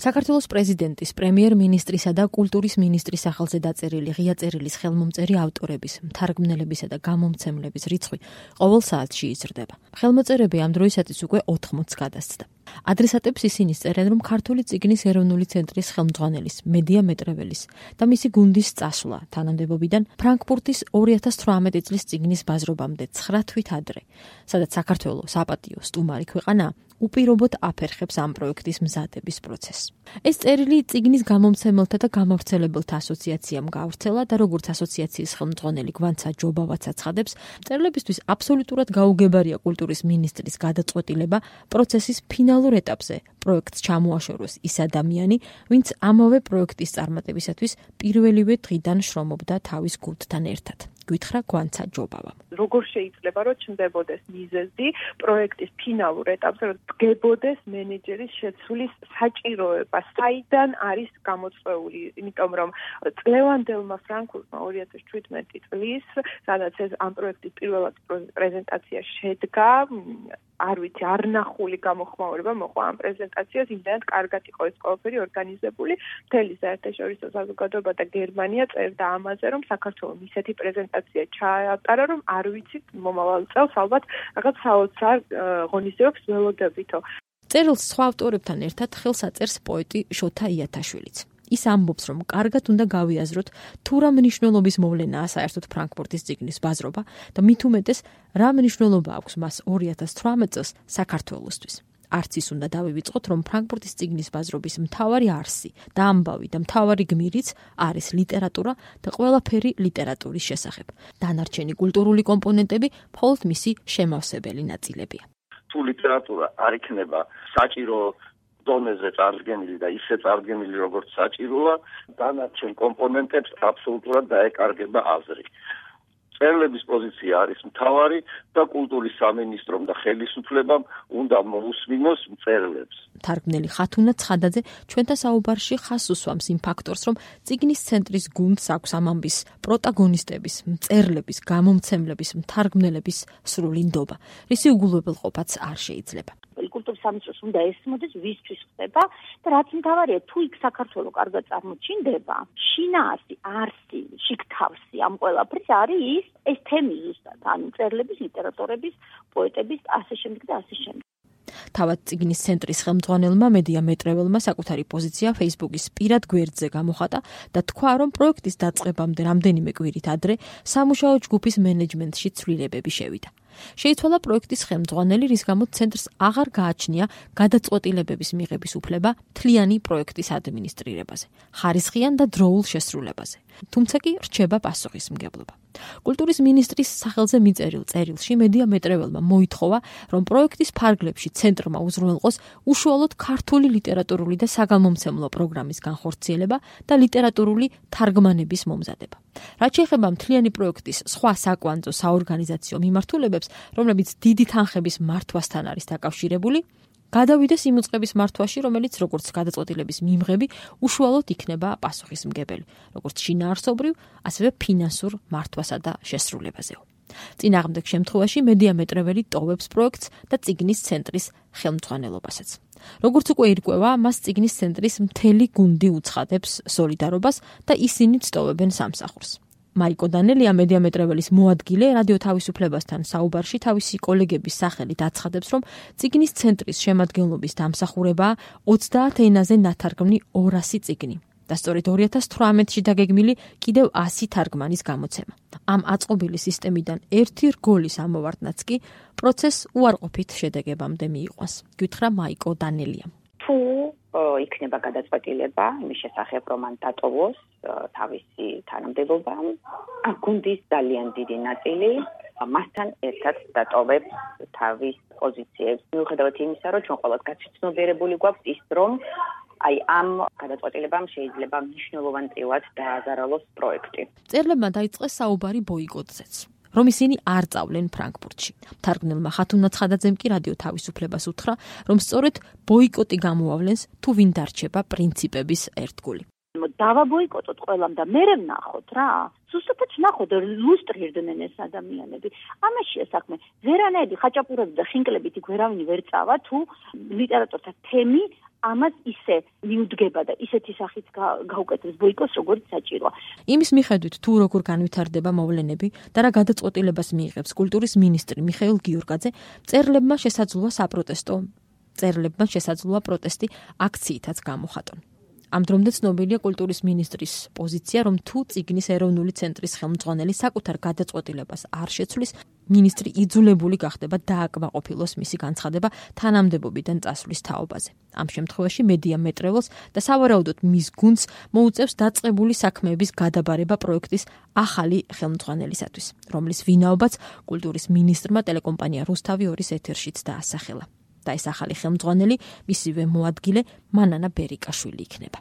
საქართველოს პრეზიდენტის, პრემიერ-მინისტრისა და კულტურის მინისტრის სახელზე დაწერილი ღია წერილის ხელმომწერი ავტორების, მთარგმნელებისა და გამომცემლების რიცხვი ყოველ საათში იზრდება. ხელმოწერები ამ დროისათვის უკვე 80-ს გადასცდა. ადრესატებს ისინი წერენ, რომ ქართული წიგნის ეროვნული ცენტრის ხელმძღვანელის, მედია მეტრეველის და მისი გუნდის წასვლა თანამდებობიდან ფრანკფურტის 2018 წლის წიგნის ბაზრობამდე 9 თვით ადრე, სადაც საქართველოს საპატიო სტუმარი ქვეყანა უპირობოდ აფერხებს ამ პროექტის მზადების პროცესს. ეს წერილი წიგნის გამომცემელთა და გამავრცელებელთა ასოციაციამ გაავრცელა და როგორც ასოციაციის ხელმძღვანელი გვანცა ჯობავაც აცხადებს, წერილებისთვის აბსოლუტურად გაუგებარია კულტურის მინისტრის გადაწყვეტილება პროცესის ფინალურ ეტაპზე პროექტს ჩამოაშოროს ის ადამიანი, ვინც ამავე პროექტის წარმატებისათვის პირველივე დღიდან შრომობდა თავის გუნდთან ერთად. გითხრა გვანცა ჯობავამ. როგორ შეიძლება რომ ჩნდებოდეს მიზეზი პროექტის ფინალურ ეტაპზე, რომ დგებოდეს მენეჯერის შეცვლის საჭიროება, საიდან არის გამოწვეული, იმიტომ რომ წლევანდელმა ფრანკფურტმა 2017 წლის, სადაც ეს ამ პროექტის პირველად პრეზენტაცია შედგა, არ ვიცი, არ ნახული გამოხმაურება მოყვა ამ პრეზენტაციას, იმდენად კარგად იყო ეს ყველაფერი ორგანიზებული, მთელი საერთაშორისო საზოგადოება და გერმანია წერდა ამაზე, რომ საქართველოს ისეთი პრეზენტაცია ჩაატარა, რომ არ ვიცით მომავალ წელს ალბათ რაღაც საოცარ ღონისძიებებს ველოდებითო. წერილს სხვა ავტორებთან ერთად ხელს აწერს პოეტი შოთა იათაშვილიც. ის ამბობს, რომ კარგად უნდა გავიაზროთ თუ რა მნიშვნელობის მოვლენაა საერთოდ ფრანკფურტის წიგნის ბაზრობა და მით უმეტეს რა მნიშვნელობა აქვს მას 2018 წელს საქართველოსთვის. არც ის უნდა დავივიწყოთ, რომ ფრანკფურტის წიგნის ბაზრობის მთავარი არსი და ამბავი და მთავარი გმირიც არის ლიტერატურა და ყველაფერი ლიტერატურის შესახებ. დანარჩენი კულტურული კომპონენტები მხოლოდ მისი შემავსებელი ნაწილებია. თუ ლიტერატურა არ იქნება საჭირო დონეზე წარდგენილი და ისე წარდგენილი, როგორც საჭიროა, დანარჩენ კომპონენტებს აბსოლუტურად დაეკარგება აზრი. წერილების პოზიცია არის მთავარი და კულტურის სამინისტრომ და ხელისუფლებამ უნდა მოусმინოს წერილებს. თარგმნელი ხათუნა ცხადაძე ჩვენთან საუბარში ხაზს უსვამს იმ ფაქტორს, რომ წიგნის ცენტრის გუნდს აქვს ამ ამბის პროტაგონისტების, მწერლების, გამომცემლების, მთარგმნელების სრული ნდობა, რისი უგულებელყოფაც არ შეიძლება. კულტურის სამინისტროს უნდა ესმოდეს, ვისთვის ხდება და რაც მთავარია, თუ იქ საქართველო კარგად წარმოჩინდება, შინაარსი, არსი, შიგთავსი ამ ყველაფრის არის ეს თემი ზუსტად, ანუ წერლების, ლიტერატორების, პოეტების, ასე შემდეგ და ასე შემდეგ. თავად წიგნის ცენტრის ხელმძღვანელმა მედია მეტრეველმა საკუთარი პოზიცია Facebook-ის პირად გვერდზე გამოხატა და თქვა, რომ პროექტის დაწყებამდე რამდენიმე კვირით ადრე სამუშაო ჯგუფის მენეჯმენტში ცვლილებები შევიდა. შეიცვალა პროექტის ხელმძღვანელი, რის გამოც ცენტრს აღარ გააჩნია გადაწყვეტილებების მიღების უფლება მთლიანი პროექტის ადმინისტრირებაზე, ხარისხიან და დროულ შესრულებაზე. თუმცა კი რჩება პასუხისმგებლობა. კულტურის მინისტრის სახელზე მიწერილ წერილში მედია მეტრეველმა მოითხოვა, რომ პროექტის ფარგლებში ცენტრმა უზრუნველყოს უშუალოდ ქართული ლიტერატურული და საგამომცემლო პროგრამის განხორციელება და ლიტერატურული თარგმანების მომზადება. რაც შეეხება მთლიანი პროექტის სხვა საკვანძო საორგანიზაციო მიმართულებებს, რომლებიც დიდი თანხების მართვასთან არის დაკავშირებული, გადავიდეს იმ უწყების მართვაში, რომელიც როგორც გადაწყვეტილების მიმღები უშუალოდ იქნება პასუხისმგებელი, როგორც შინაარსობრივ, ასევე ფინანსურ მართვასა და შესრულებაზეო. წინააღმდეგ შემთხვევაში მედია მეტრეველი ტოვებს პროექტს და წიგნის ცენტრის ხელმძღვანელობასაც. როგორც უკვე ირკვევა, მას წიგნის ცენტრის მთელი გუნდი უცხადებს სოლიდარობას და ისინიც ტოვებენ სამსახურს. მაიკო დანელია მედია მეტრეველის მოადგილე რადიო თავისუფლებასთან საუბარში თავისი კოლეგების სახელით აცხადებს, რომ წიგნის ცენტრის შემადგენლობის დამსახურებაა 30 ენაზე ნათარგმნი 200 წიგნი და სწორედ 2018-ში დაგეგმილი კიდევ 100 თარგმანის გამოცემა. ამ აწყობილი სისტემიდან ერთი რგოლის ამოვარდნაც კი პროცესს უარყოფით შედეგებამდე მიიყვანს. გითხრა მაიკო დანელიამ. თუ იქნება გადაწყვეტილება იმის შესახებ, რომ მან დატოვოს თავისი თანამდებობა, გუნდის ძალიან დიდი ნაწილი მასთან ერთად დატოვებს თავის პოზიციებს. მიუხედავად იმისა, რომ ჩვენ ყველას გაცნობიერებული გვაქვს ის, რომ აი ამ გადაწყვეტილებამ შეიძლება მნიშვნელოვანად დააზარალოს პროექტი. წერლებმა დაიწყეს საუბარი ბოიკოტზეც, რომ ისინი არ წავლენ ფრანკფურტში. თარგმნელმა ხათუნა ცხადაძემ კი რადიო თავისუფლებას უთხრა, რომ სწორედ ბოიკოტი გამოავლენს თუ ვინ დარჩება პრინციპების ერთგული. დავაბოიკოტოთ ყველამ და მერე ვნახოთ რა. ზუსტად ვნახოთ ლუსტრირდნენ ეს ადამიანები. ამაშია საქმე. ვერანაირი ხაჭაპურები და ხინკლებით იქ ვერავინ ვერ წავა თუ ლიტერატურთა თემი ამას ისე მიუდგება და ისეთი სახით გაუკეთებს ბოიკოტს, როგორც საჭიროა. იმის მიხედვით, თუ როგორ განვითარდება მოვლენები და რა გადაწყვეტილებას მიიღებს კულტურის მინისტრი მიხეილ გიორგაძე, მწერლებმა შესაძლოა პროტესტი აქციითაც გამოხატონ. ამ დრომდე ცნობილია კულტურის მინისტრის პოზიცია, რომ თუ წიგნის ეროვნული ცენტრის ხელმძღვანელი საკუთარ გადაწყვეტილებას არ შეცვლის, მინისტრი იძულებული გახდება დააკმაყოფილოს მისი განცხადება თანამდებობიდან წასვლის თაობაზე. ამ შემთხვევაში მედია მეტრეველს და სავარაუდოდ მის გუნდს მოუწევს დაწყებული საქმეების გადაბარება პროექტის ახალი ხელმძღვანელისათვის, რომლის ვინაობაც კულტურის მინისტრმა ტელეკომპანია რუსთავი 2-ის ეთერშიც დაასახელა. და ეს ახალი ხელმძღვანელი მისივე მოადგილე მანანა ბერიკაშვილი იქნება.